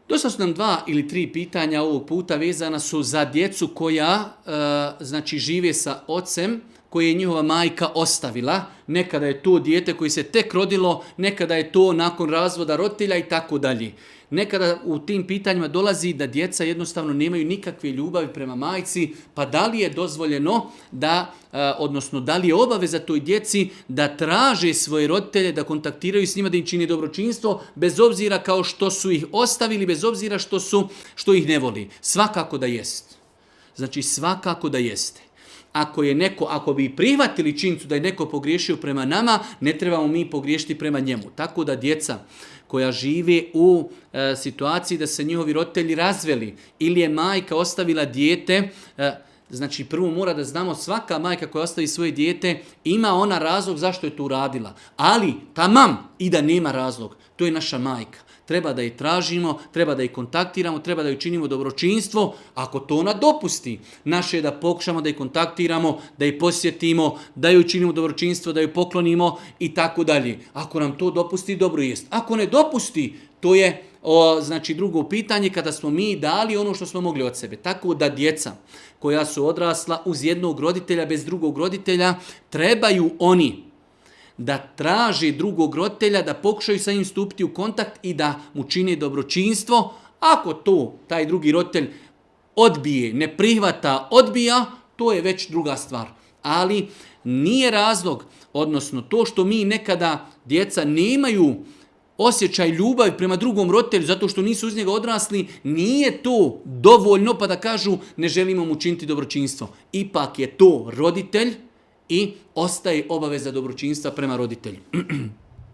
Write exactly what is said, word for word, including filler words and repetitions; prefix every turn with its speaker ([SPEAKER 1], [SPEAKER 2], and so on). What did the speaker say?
[SPEAKER 1] Dosta su nam dva ili tri pitanja ovog puta vezana su za djecu koja e, znači žive sa ocem koje je njihova majka ostavila. Nekada je to dijete koji se tek rodilo, nekada je to nakon razvoda roditelja i tako dalje. Nekada u tim pitanjima dolazi da djeca jednostavno nemaju nikakve ljubavi prema majci, pa da li je dozvoljeno da, odnosno da li je obaveza toj djeci da traže svoje roditelje, da kontaktiraju s njima, da im čini dobročinstvo, bez obzira kao što su ih ostavili, bez obzira što, su, što ih ne voli. Svakako da jest. Znači svakako da jeste. Ako je neko, ako bi prihvatili činjenicu da je neko pogriješio prema nama, ne trebamo mi pogriješiti prema njemu. Tako da djeca koja žive u e, situaciji da se njihovi roditelji razveli ili je majka ostavila dijete, e, znači prvo mora da znamo svaka majka koja ostavi svoje dijete ima ona razlog zašto je to uradila. Ali tamam i da nema razlog, to je naša majka. Treba da je tražimo, treba da je kontaktiramo, treba da joj činimo dobročinstvo. Ako to ona dopusti, naše je da pokušamo da je kontaktiramo, da je posjetimo, da joj činimo dobročinstvo, da joj poklonimo i tako dalje. Ako nam to dopusti, dobro jest. Ako ne dopusti, to je o, znači drugo pitanje kada smo mi dali ono što smo mogli od sebe. Tako da djeca koja su odrasla uz jednog roditelja bez drugog roditelja, trebaju oni da traži drugog roditelja, da pokušaju sa njim stupiti u kontakt i da mu čine dobročinstvo. Ako to taj drugi roditelj odbije, ne prihvata, odbija, to je već druga stvar. Ali nije razlog, odnosno to što mi nekada djeca nemaju osjećaj ljubavi prema drugom roditelju zato što nisu uz njega odrasli, nije to dovoljno pa da kažu ne želimo mu činiti dobročinstvo. Ipak je to roditelj i ostaje obaveza dobročinstva prema roditelju.